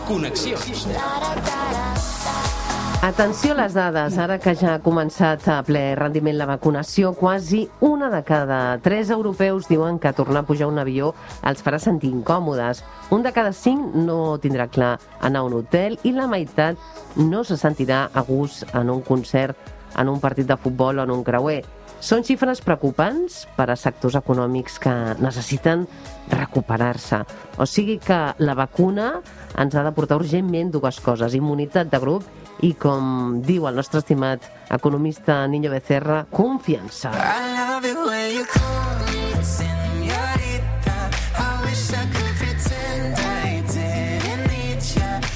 Connexions. Atenció a les dades, ara que ja ha començat a ple rendiment la vacunació, quasi 1 de cada 3 europeus diuen que tornar a pujar un avió els farà sentir incòmodes. 1 de cada 5 no tindrà clar anar a un hotel i la meitat no se sentirà a gust en un concert, en un partit de futbol o en un creuer. Són xifres preocupants per a sectors econòmics que necessiten recuperar-se. O sigui que la vacuna ens ha de portar urgentment 2 coses: immunitat de grup i, com diu el nostre estimat economista Niño Becerra, confiança.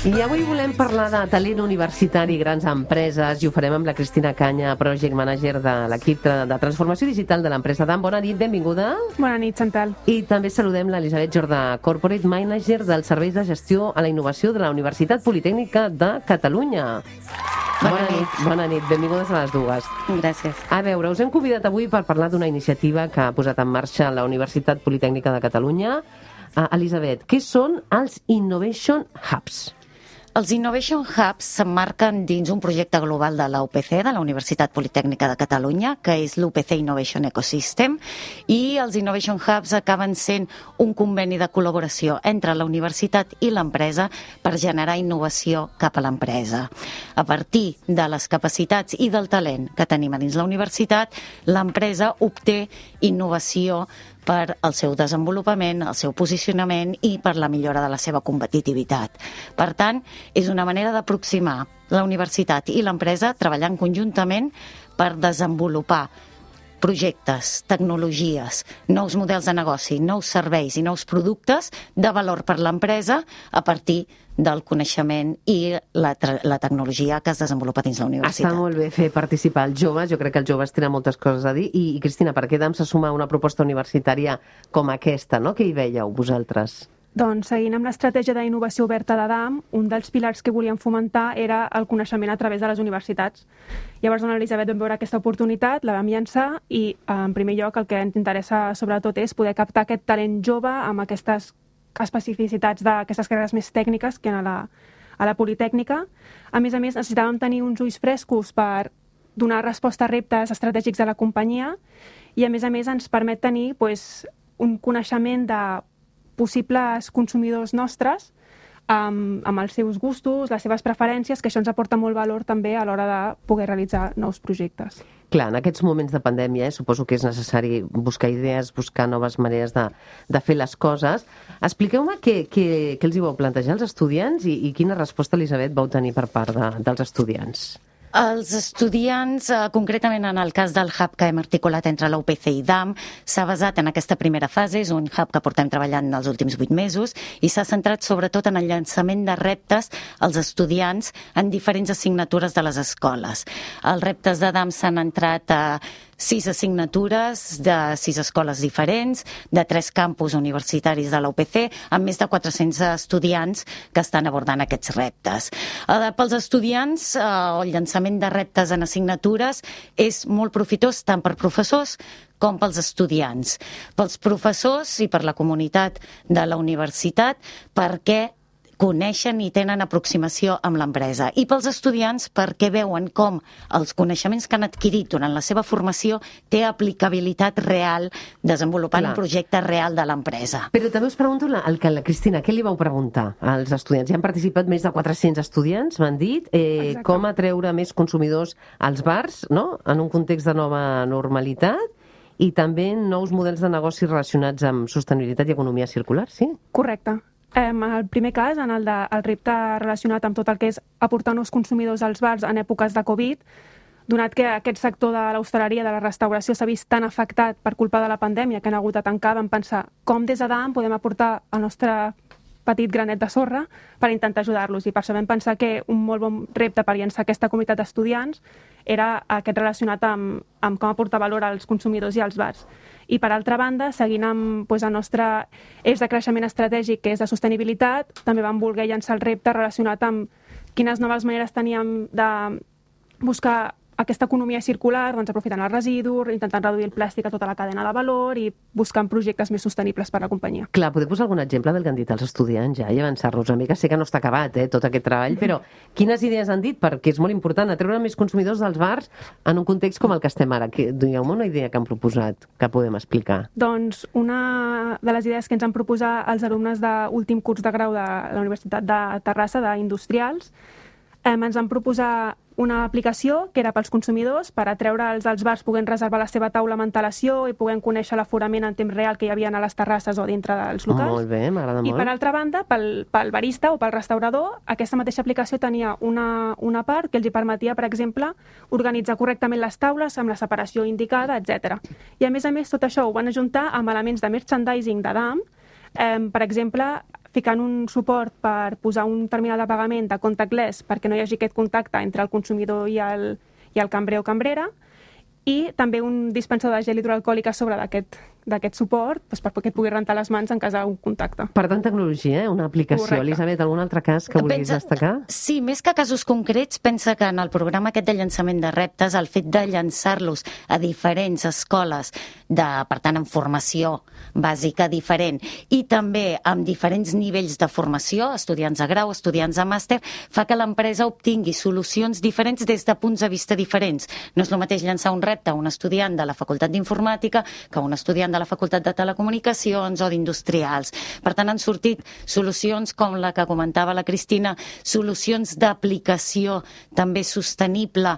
I avui volem parlar de talent universitari i grans empreses i ho farem amb la Cristina Canya, Project Manager de l'equip de transformació digital de l'empresa DAM. Bona nit, benvinguda. Bona nit, Chantal. I també saludem l'Elisabet Jordà, Corporate Manager dels Serveis de Gestió a la Innovació de la Universitat Politècnica de Catalunya. Bona nit, benvingudes a les dues. Gràcies. A veure, us hem convidat avui per parlar d'una iniciativa que ha posat en marxa la Universitat Politècnica de Catalunya. Elisabet, què són els Innovation Hubs? Els Innovation Hubs s'emmarquen dins un projecte global de la UPC, de la Universitat Politècnica de Catalunya, que és l'UPC Innovation Ecosystem, i els Innovation Hubs acaben sent un conveni de col·laboració entre la universitat i l'empresa per generar innovació cap a l'empresa. A partir de les capacitats i del talent que tenim a dins la universitat, l'empresa obté innovació per al seu desenvolupament, el seu posicionament i per la millora de la seva competitivitat. Per tant, és una manera d'aproximar la universitat i l'empresa treballant conjuntament per desenvolupar projectes, tecnologies, nous models de negoci, nous serveis i nous productes de valor per l'empresa a partir del coneixement i la tecnologia que es desenvolupa dins la universitat. Està molt bé fer participar els joves, jo crec que els joves tenen moltes coses a dir. I Cristina, per què DAM se suma a una proposta universitària com aquesta, no? Què hi veieu vosaltres? Doncs, seguint amb l'estratègia d'innovació oberta de DAM, un dels pilars que volíem fomentar era el coneixement a través de les universitats. Llavors, l'Elisabet vam veure aquesta oportunitat, la vam llançar i, en primer lloc, el que ens interessa sobretot és poder captar aquest talent jove amb aquestes especificitats d'aquestes carreres més tècniques que a la Politècnica. A més, necessitàvem tenir uns ulls frescos per donar resposta a reptes estratègics de la companyia i, a més, ens permet tenir un coneixement de possibles consumidors nostres amb els seus gustos, les seves preferències, que això ens aporta molt valor també a l'hora de poder realitzar nous projectes. Clar, en aquests moments de pandèmia suposo que és necessari buscar idees, buscar noves maneres de fer les coses. Expliqueu-me què els hi vau plantejar als estudiants i quina resposta, Elisabet, vau tenir per part dels estudiants. Els estudiants, concretament en el cas del hub que hem articulat entre la UPC i DAM, s'ha basat en aquesta primera fase, és un hub que portem treballant els últims 8 mesos i s'ha centrat sobretot en el llançament de reptes als estudiants en diferents assignatures de les escoles. Els reptes de DAM s'han entrat a 6 assignatures de 6 escoles diferents, de 3 campus universitaris de la UPC, amb més de 400 estudiants que estan abordant aquests reptes. Pels estudiants, el llançament de reptes en assignatures és molt profitós tant per professors com pels estudiants. Pels professors i per la comunitat de la universitat, perquè coneixen i tenen aproximació amb l'empresa. I pels estudiants perquè veuen com els coneixements que han adquirit durant la seva formació té aplicabilitat real desenvolupant un projecte real de l'empresa. Però també us pregunto, Cristina, què li vau preguntar als estudiants? Hi han participat més de 400 estudiants, m'han dit. Com atreure més consumidors als bars, no?, en un context de nova normalitat, i també nous models de negoci relacionats amb sostenibilitat i economia circular, sí? Correcte. En el primer cas, en el repte relacionat amb tot el que és aportar nous consumidors als bars en èpoques de Covid, donat que aquest sector de l'hostaleria, de la restauració, s'ha vist tan afectat per culpa de la pandèmia que han hagut de tancar, vam pensar com des de DAM podem aportar el nostre petit granet de sorra per intentar ajudar-los. I per això vam pensar que un molt bon repte per llançar aquesta comunitat d'estudiants era aquest relacionat amb com aportar valor als consumidors i als bars. I, per altra banda, seguint amb el nostre eix de creixement estratègic, que és de sostenibilitat, també vam voler llançar el repte relacionat amb quines noves maneres teníem de buscar aquesta economia circular, doncs aprofitant el residu, intentant reduir el plàstic a tota la cadena de valor i buscant projectes més sostenibles per a la companyia. Clar, podeu posar algun exemple del que han dit els estudiants ja i avançar-nos una mica? Sé que no està acabat, tot aquest treball, però quines idees han dit? Perquè és molt important atreure més consumidors dels bars en un context com el que estem ara. Digueu-me una idea que han proposat que podem explicar. Doncs una de les idees que ens han proposat els alumnes d'últim curs de grau de la Universitat de Terrassa, d'Industrials, ens van proposar una aplicació que era pels consumidors per atreure'ls als bars podent reservar la seva taula amb antelació i podent conèixer l'aforament en temps real que hi havia a les terrasses o dintre dels locals. Molt bé, m'agrada molt. I per altra banda, pel barista o pel restaurador, aquesta mateixa aplicació tenia una part que els hi permetia, per exemple, organitzar correctament les taules amb la separació indicada, etc. I a més, tot això ho van ajuntar amb elements de merchandising de DAM, per exemple, ficant un suport per posar un terminal de pagament de contactless perquè no hi hagi aquest contacte entre el consumidor i el cambrer o cambrera, i també un dispensador de gel hidroalcohòlic a sobre d'aquest suport perquè et pugui rentar les mans en cas d'un contacte. Per tant, tecnologia, una aplicació. Correcte. Elisabet, algun altre cas que vulguis destacar? Sí, més que casos concrets, pensa que en el programa aquest de llançament de reptes, el fet de llançar-los a diferents escoles, per tant, amb formació bàsica diferent, i també amb diferents nivells de formació, estudiants de grau, estudiants de màster, fa que l'empresa obtingui solucions diferents des de punts de vista diferents. No és el mateix llançar un repte a un estudiant de la Facultat d'Informàtica que a un estudiant de la Facultat de Telecomunicacions o d'Industrials. Per tant, han sortit solucions com la que comentava la Cristina, solucions d'aplicació també sostenible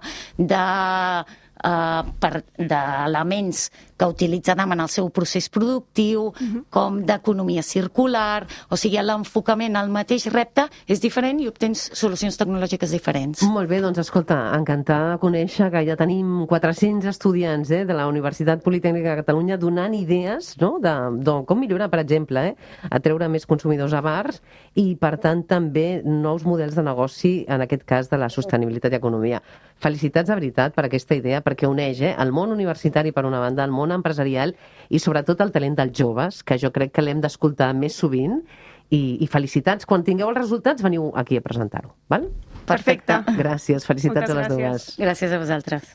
d'elements que utilitza DAM en el seu procés productiu, com d'economia circular, o sigui, l'enfocament al mateix repte és diferent i obtens solucions tecnològiques diferents. Molt bé, doncs escolta, encantada de conèixer que ja tenim 400 estudiants de la Universitat Politècnica de Catalunya donant idees de com millorar, per exemple, atreure més consumidors a bars i, per tant, també nous models de negoci, en aquest cas de la sostenibilitat i economia. Felicitats de veritat per aquesta idea, perquè uneix el món universitari per una banda, el món empresarial i sobretot el talent dels joves, que jo crec que l'hem d'escoltar més sovint, i felicitats. Quan tingueu els resultats veniu aquí a presentar-ho, val? Perfecte. Gràcies, felicitats a les dues. Gràcies a vosaltres.